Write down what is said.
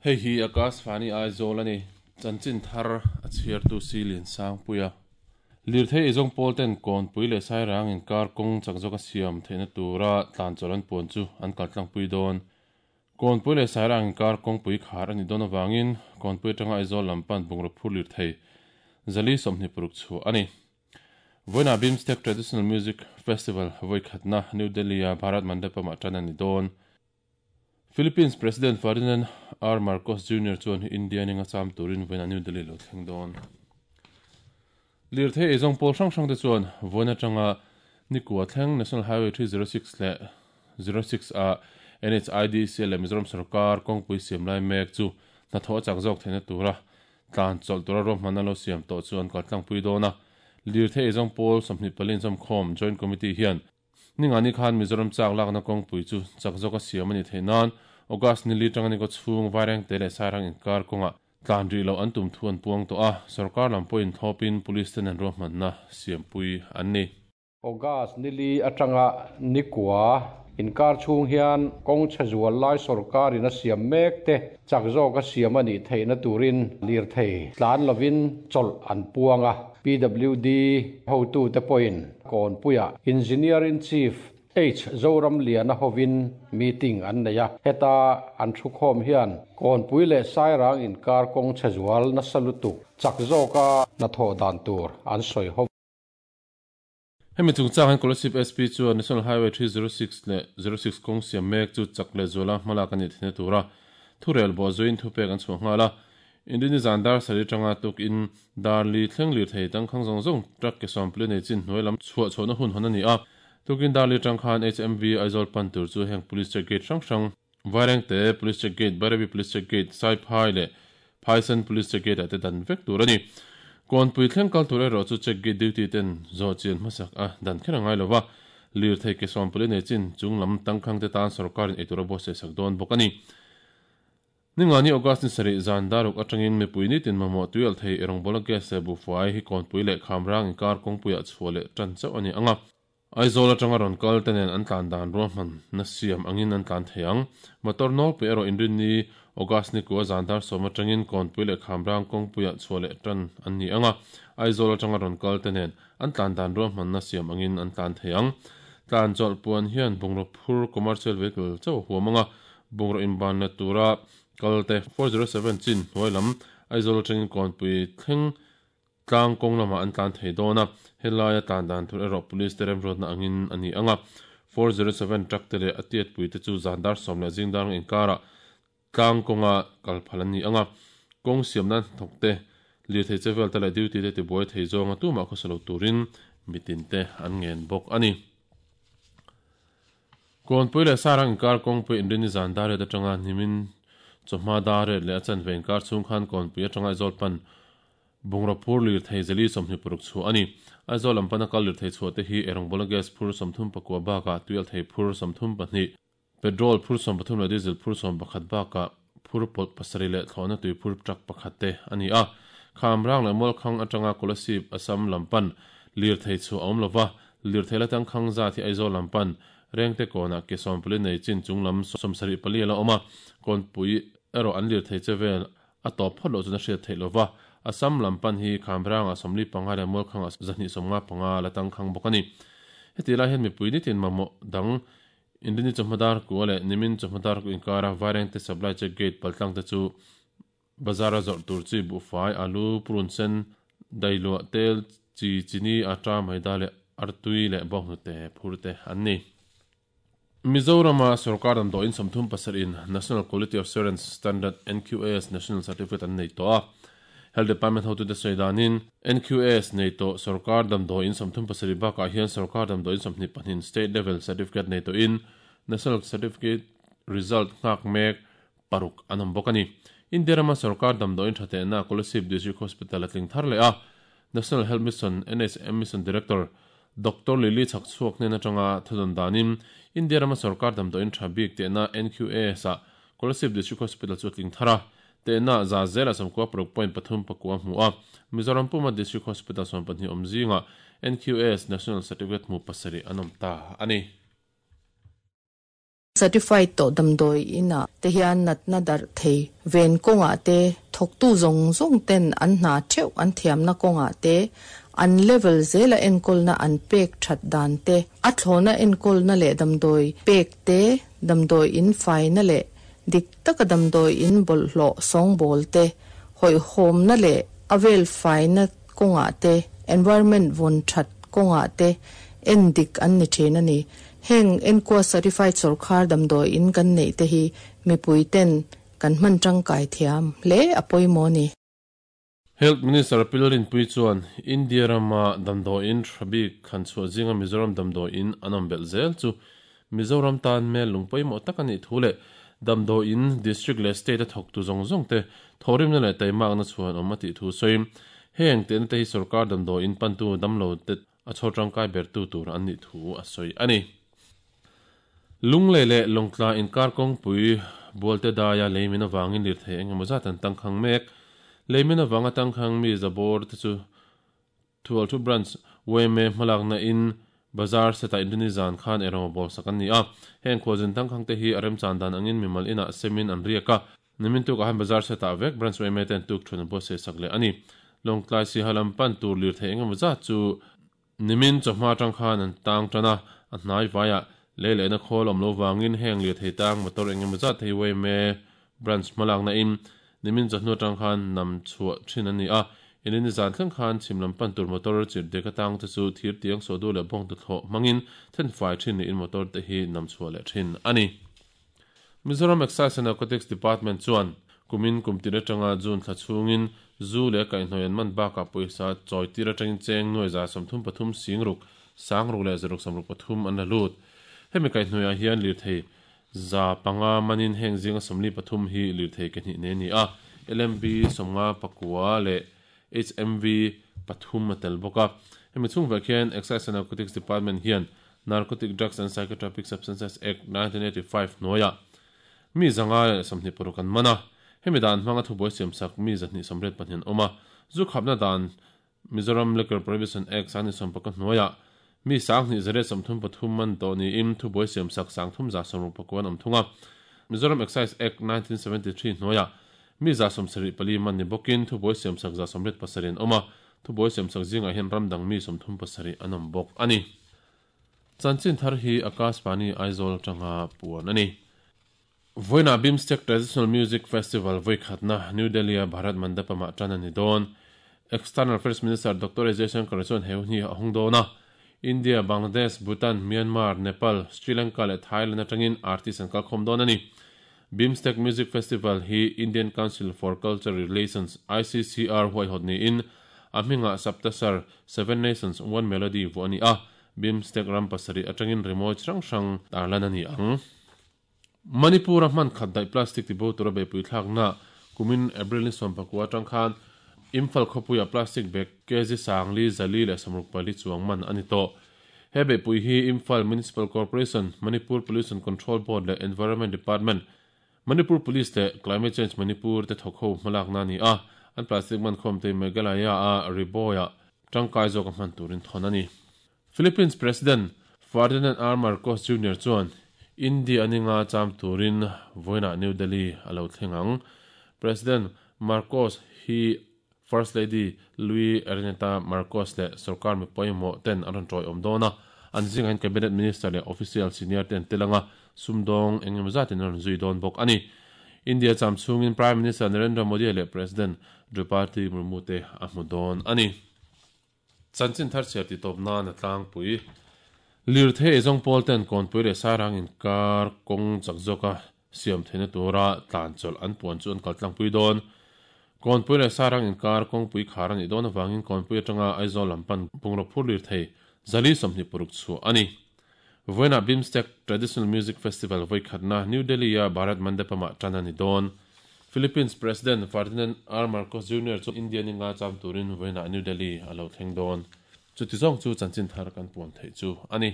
Hei hi Akashvani Aizawl a ni. Chanchin thar a chhiartu si Liansangpuia. Lirthei eizawng pawl ten Kawnpui leh Sairang inkar kawng chak zawka siam theihna tura tlan chawlh an puan chu an kal tlangpui dawn. Kawnpui leh Sairang inkar kawngpui khar a nih dawn avangin Kawnpui atanga Aizawl lam pan bungraw phur lirthei 426 chhuah a ni. Vawiinah Bimstec Traditional Music Festival vawi khatna New Delhi-a Bharat Mandapam-ah tan a ni dawn. Philippines President Ferdinand R. Marcos Junior chuan India ninga cham turin vawiinah New Delhi lo thleng dawn. Lirthei eizawng pawl hrang hrangte chuan vawiin atanga nikua thleng National Highway 306 leh 06 a NHIDC leh Mizoram sorkar kawngpui siam lai mek chu hnathawh a chak zawk theihna tura tlan chawlh tura ruahmanna lo siam tawh chu an kaltlangpui dawn a. Lirthei eizawng pawl 24 inzawmkhawm Joint Committee hian Ningani khan Mizoram chak lakna kawngpui chu chak zawka siam a nih theih nan August ni li tanga ni kaw chhung Vairengte leh Sairang inkar kawngah tlan rih loh an tum thu an puang tawh a, sorkar lam pawhin thlawpin Police ten an ruahmanna siampui an ni. August ni li atanga ni kua inkar chhung hian kawng chhe zual lai sorkarin a siam mek te chak zawka siam a nih theihna turin lirthei tlan lovin chawlh an puang a. PWD hotute pawhin Kawnpuiah Engineer-in-Chief H. Zoramliana hovin meeting an nei a, heta an thukhawm hian Kawnpui leh Sairang inkar kawng chhe zual nasa lutuk chak zawka hnathawh dan tur an sawi ho. Hemi chungchang hian Kolasib SP chuan National Highway 306 leh 06 kawng siam mek chu chak leh zuala hmalak a nih theihna tura thurel bawh zuiin thupek an chhuah nghal a. Indini zan dar sarih atanga tukin dar li thleng lirthei tangkhang zawng zawng truck ke sawmpli nei chin hnuai lam chhuah chhohna hun hawn a ni a. Tukin dar li atang khan HMV Aizawl pan tur chu heng Police check gate hrang hrang, Vairengte Police check gate, Bairabi Police check gate, Saiphai leh Phaisen Police check gate ah te dan vek tur a ni. Kawnpui thleng kal tur erawh chu check gate duty ten zawh chian hmasak a dan kher a ngai lo va, lirthei ke sawmpli nei chin chung lam tangkhang te tan sorkarin eitur a buatsaih sak dawn bawk a ni. Ningani August ni sarih zan daruk atangin mipui nitin mamawh tuialh thei erawngbawl a gas leh buhfai hi kawnpui leh khamrang inkar kawngpuiah chhuah leh tan chauh a ni ang a. Aizawl atanga rawn kal te nen an tlan dan ruahman na siam angin an tlan thei ang. Motor nawlpui erawh inrinni August ni kua zan dar sawm atangin kawnpui leh khamrang kawngpuiah chhuah leh tan an ni ang a. Aizawl atanga rawn kal te nen an tlan dan ruahman na siam angin an tlan thei ang. Tlan chawlh puan hian bungraw phur commercial vehicle chauh a huam ang a, Bungraw inbanna tura kalte 407 chin hnuai lam Aizawl atangin Kawnpui thleng tlang kawng lamah an tlan thei dawn a, helaia tlan dan tur erawh Police te remruatna angin a ni ang a. 407 truck te leh a tiatpui te chu zan dar sawm leh zing dar inkarah tlang kawnga kal phal an ni ang a. Kawng siam nan hnathawk te, lirthei che vel te leh duty te tibuai thei zawnga tumah khawsa lo turin mitin te an ngen bawk a ni. Kawnpui leh Sarang inkar kawngpui inrin i zan dar ret atanga hnimin chawhma dar ret leh a chanve inkar chhung khan Kawnpui atanga Aizawl pan bungraw phur lirthei zeli 26 chhuah a ni. Aizawl lam pana kal lirthei chhuah te hi erawngbawl a gas phur 39 bakah tuialthei phur 32, petrol phur 13 leh diesel phur 11 bakah phur pawlh pasarih leh thlawhna tui phur truck pakhat te a ni a. Khamrang leh Mualkhang atanga Kolasib, Assam lam pan lirthei chhuah a awm lova, lirthei la tangkhang zat hi Aizawl lam pan Rengte kawnah ke sawmpali nei chin chung lam 74 a la awm a, kawnpui erawh an lirthei che vel a tawp phawt loh chuan a hriat theih lova, Assam lam pan hi Khamrangah 45 leh Mualkhangah 155 la tangkhang bawk a ni. Heti lai hian mipui nitin mamawh dang Inrini chawhma dar kua leh nimin chawhma dar ku inkara Vairengte supply check gate paltlang te chu bazara zawrh tur chi buhfai, alu, purun sen, dailuah, tel, chi, chini, atta, maida leh artui leh bawnghnute phur te an ni. Mizorama sorkar damdawiin 37 in National Quality Assurance Standard, NQAS, National Certificate an nei tawh a. Health Department hotute sawi danin, NQAS nei tawh sorkar damdawiin 37 bakah hian sorkar damdawiin 22 State Level Certificate nei tawhin National Certificate result nghak mek paruk an awm bawk a ni. India rama sorkar damdawiin tha tehna Kolasib District Hospital a tling thar leh a, National Health Mission, NHM, Mission Director Doctor Lily Chhakchhuak hnen atanga thudawn danin India rama sorkar damdawiin tha bik tehna NQAS-ah Kolasib District Hospital chu a tling thar a, Tehna za zela 96 point pathum pakua hmu a, Mizoram puma District Hospital 12 awm zingah NQAS National Certificate hmu pasarih an awm ta a ni. Certified tawh damdawi inah te hian natna darh thei ven kawngah te, thawktu zawng zawng ten an hna theuh an thiamna kawngah te, an level zela enkawlna an pek that dan te, a thlawna enkawlna leh damdawi pek te, damdawi in faina leh dik taka damdawi in bawlhhlawh sawngbawl te, hawihhawmna leh a vel faina kawngah te, environment vawn that kawngah te en dik an ni thin a ni. Heng enkua certified sawrkhar damdawi in kan neih te hi mipui ten kan hman tangkai thiam hle a pawimawh a ni. Health Minister Pilrinpui chuan India rama damdawi in tha bik thlan chhuah zinga Mizoram damdawi in an awm belh zel chu Mizoram tan mel lung pawimawh tak a nih thu leh damdawi in district leh state a thawktu zawng zawng te thawhrimna leh taimakna chhuan awm a tih thu sawiin heng tehna te hi sawrkar damdawi in pantu damlo te a chhawr tangkai bertu tur an nih thu a sawi a ni. Lunglei leh Lawngtla inkar kawngpui Bualte daia leimin avangin lirthei eng emaw zat an tangkhang mek. Leimin avanga tangkhang mi zabawr te chu Thualthu Branch yma hmalakna in Bazar setah Inrini zan khan eirawng bawl sak an ni a. Heng khualzin tangkhang te hi a remchan dan angin mimal inah semin an riak a. Nimin tukah han Bazar setah vek Branch yma ten tuk thun an buatsaih sak leh a ni. Lawngtlai Siha lam pan tur lirthei eng emaw zat chu nimin chawhma atang khan an tang tan a, a hnai vaiah lei lehna khawl awm lo vangin heng lirthei tang motor eng emaw zat hi yma Branch hmalakna in nimin chawhnu atang khan nam chhuah thin an ni a. Inrini zan thleng khan chhim lam pan tur motor chirh dek atang te chu thir tiang sawhdu leh bawng tuthlawh hmangin thenfai thin niin motor te hi nam chhuah leh thin a ni. Mizoram Excise and Narcotics Department chuan kumin kum tir atanga June thla chhungin zu leh kaihhnawih an man bakah pawisa chawi tir atangin cheng nuai 33 singruk, sangruk leh zaruk 63 an la lut. Hemi kaihhnawihah hian lirthei 500 manin heng zinga 43 hi lirthei ke hnih nei a ni a, LMV 59 leh HMV pathum a tel bawk a. Hemi chhung vek hian Excise and Narcotics Department hian Narcotic Drugs and Psychotropic Substances Act, 1985 hnuaiah mi 126 an man a. Hemi dan hmanga thubuai siamsak mi 284 an awm a. Zu khapna dan Mizoram Liquor Prohibition Act 2019 hnuaiah mi 2133 man tawh niin thubuai siamsak 3169 an awm thung a. Mizoram Excise Act, 1973 hnuaiah mi 74 man ni bawkin thubuai siamsak 87 an awm a. Thubuai siamsak zingah hian ram dang mi 37 an awm bawk a ni. Chanchin thar hi Akashvani Aizawl atanga puan a ni. Vawiinah BIMSTEC Traditional Music Festival vawikhatna New Delhi-a Bharat Mandapam-ah tan a ni dawn. External Affairs Minister Doctor S Jaishankar chuan he hun hi a hawng dawn a. India, Bangladesh, Bhutan, Myanmar, Nepal, Sri Lanka leh Thailand atangin artist an kalkhawm dawn a ni. BIMSTEC Music Festival hi Indian Council for Cultural Relations, ICCR, huaihawt niin a hmingah Saptasar, Seven Nations, One Melody vuah a ni a, BIMSTEC ram pasarih atangin rimawi chi hrang hrang tarlan a ni ang. Manipur-a hman khat daih plastic tibo tura beihpui thlakna kumin April ni 19 atang khan Imphal khawpuiah plastic bag kg 4,424 chuang man a ni tawh. He beihpui hi Imphal Municipal Corporation, Manipur Pollution Control Board leh Environment Department, Manipur Police leh Climate Change Manipur te thawk ho hmalakna a ni a, an plastic man khawm te Meghalaya-a Ri-Bhoi-ah tangkai zawka hman turin thawn a ni. Philippines President Ferdinand R. Marcos Junior chuan India ninga cham turin vawiinah New Delhi a lo thleng ang. President Marcos hi First Lady Louie Araneta Marcos leh sorkar mi pawimawh ten an rawn tawiawm dawn a, an zingah hian Cabinet Minister leh Official senior te an tel ang a, sumdawng eng emaw zatin an rawn zui dawn bawk a ni. India cham chhungin Prime Minister Narendra Modi leh President Draupadi Murmu te a hmu dawn a ni. Chanchin thar chhiar ti tawp nan a tlangpui. Lirthei eizawng pawl ten Kawnpui leh Sairang inkar kawng chak zawka siam theihna tura tlan chawlh an puan chu an kal tlangpui dawn. Kawnpui leh Sairang inkar kawngpui khar a nih dawn avangin Kawnpui atanga Aizawl lam pan bungraw phur lirthei 426 chhuah a ni. Vawiinah BIMSTEC Traditional Music Festival vawikhatna New Delhi-a Bharat Mandapam-ah tan a ni dawn. Philippines President Ferdinand R. Marcos Junior chu India ninga cham turin vawiinah New Delhi a lo thleng dawn. Chuti zawng chu chanchin thar kan puan theih chu a ni.